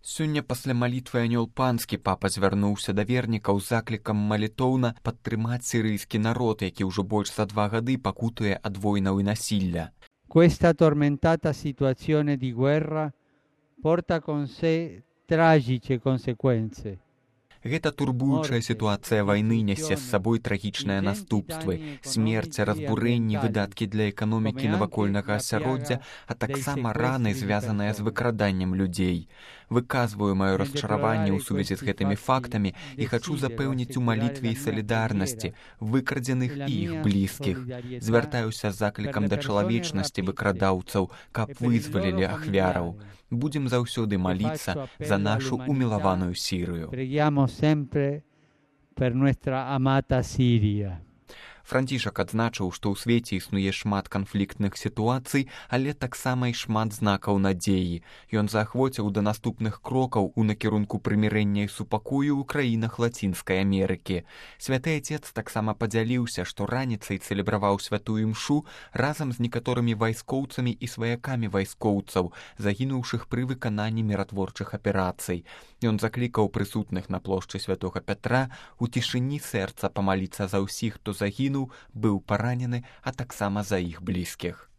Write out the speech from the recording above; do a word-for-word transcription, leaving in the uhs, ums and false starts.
Сёння пасля малітвы анёл панскі папа звярнуўся да вернікаў з заклікам малітоўна падтрымаць сірыйскі народ, які ўжо больш за два гады пакутуе ад войнаў і насілля. Questa tormentata situazione di guerra porta con sé tragiche conseguenze. Гэта турбуючая сітуацыя вайны нясе з сабой трагічныя наступствы, смерць, разбурэнні, выдаткі для эканомікі навакольнага асяроддзя, а таксама раны, звязаныя з выкраданнем людзей. Выказваю маё расчараванне ў сувязі з гэтымі фактамі і хачу запэўніць у малітве і салідарнасці выкрадзеных і іх блізкіх. Звяртаюся з заклікам да чалавечнасці выкрадаўцаў, каб вызвалілі ахвяраў. Будзем заўсёды маліцца за нашу умілаваную Сірыю. Sempre per nuestra amata Siria. Францішак адзначыў, што ў свеце існуе шмат канфліктных сітуацый, але таксама і шмат знакаў надзеі. Ён заахвоціў да наступных крокаў у накірунку прымірэння і супакою ў краінах Лацінскай Амерыкі. Святы Отец таксама падзяліўся, што раніцай цэлебраваў святую імшу разам з некаторымі вайскоўцамі і сваякамі вайскоўцаў, загінуўшых пры выкананні міратворчых аперацый. Ён заклікаў прысутных на плошчы святога Пятра у цішыні сэрца памаліцца за ўсіх, хто загінуў, быў паранены, а таксама за іх блізкіх.